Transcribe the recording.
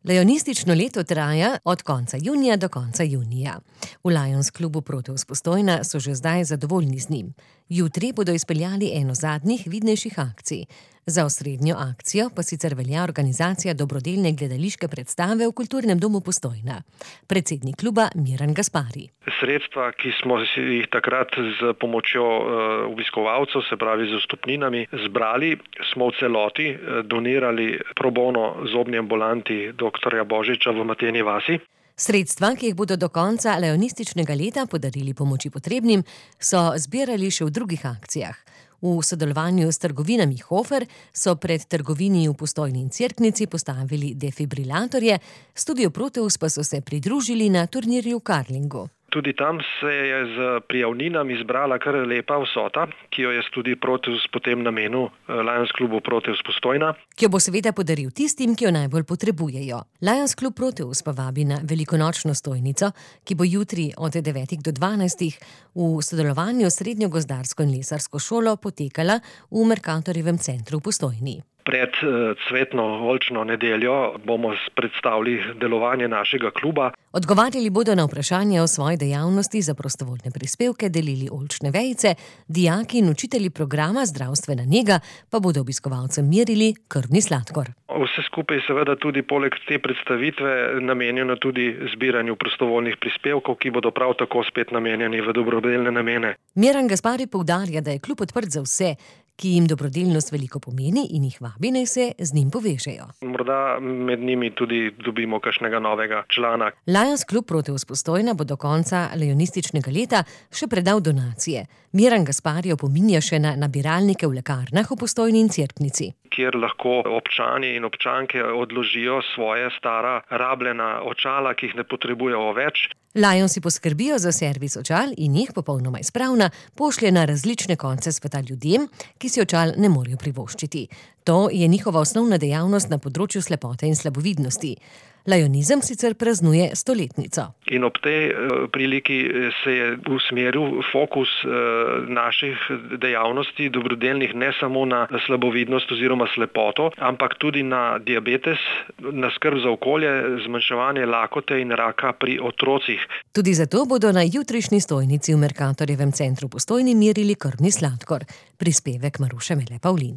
Lionistično leto traja od konca junija do konca junija. V Lions klubu Proteus Postojna so že zdaj zadovoljni z njim. Jutri bodo izpeljali eno zadnjih vidnejših akcij. Za osrednjo akcijo pa sicer velja organizacija dobrodelne gledališke predstave v Kulturnem domu Postojna. Predsednik kluba Miran Gaspari. Sredstva, ki smo jih takrat z pomočjo obiskovalcev, se pravi z vstopninami, zbrali, smo v celoti donirali pro bono zobni ambulanti dr. Božiča v Mateni vasi. Sredstva, ki jih bodo do konca lionističnega leta podarili pomoči potrebnim, so zbirali še v drugih akcijah. V sodelovanju s trgovinami Hofer so pred trgovini v Postojni in Cerknici postavili defibrilatorje, Studiu Proteus pa so se pridružili na turnirju v karlingu. Tudi tam se je z prijavninami zbrala kar lepa vsota, ki jo je Studio Proteus potem namenil Lions klubu Proteus Postojna. Ki jo bo seveda podaril tistim, ki jo najbolj potrebujejo. Lions klub Proteus pa vabi na velikonočno stojnico, ki bo jutri od 9 do 12 v sodelovanju s Srednjo gozdarsko in lesarsko šolo potekala v Mercatorjevem centru v Postojni. Pred cvetno oljčno nedeljo bomo predstavili delovanje našega kluba. Odgovarjali bodo na vprašanja o svoji dejavnosti, za prostovoljne prispevke delili oljčne vejice, dijaki in učitelji programa Zdravstvena nega pa bodo obiskovalcem merili krvni sladkor. Vse skupaj seveda tudi poleg te predstavitve namenjeno tudi zbiranju prostovoljnih prispevkov, ki bodo prav tako spet namenjeni v dobrodelne namene. Miran Gaspari poudarja, da je klub odprt za vse, ki jim dobrodelnost veliko pomeni in jih vabi, naj se z njim povežejo. Morda med njimi tudi dobimo kakšnega novega člana. Lions klub Proteus Postojna bo do konca lionističnega leta še predal donacije. Miran Gaspari opominja še na nabiralnike v lekarnah v Postojni in Cerknici, kjer lahko občani in občanke odložijo svoje stara rabljena očala, ki jih ne potrebujejo več. Lionsi poskrbijo za servis očal in jih popolnoma izpravna pošlje na različne konce sveta ljudem, ki si očal ne morejo privoščiti. To je njihova osnovna dejavnost na področju slepote in slabovidnosti. Lionizem sicer praznuje 100-letnico. In ob tej priliki se je usmeril fokus naših dejavnosti dobrodelnih ne samo na slabovidnost oziroma slepoto, ampak tudi na diabetes, na skrb za okolje, zmanjševanje lakote in raka pri otrocih. Tudi zato bodo na jutrišnji stojnici v Mercatorjevem centru Postojni merili krvni sladkor. Prispevek Maruše Mele Pavlin.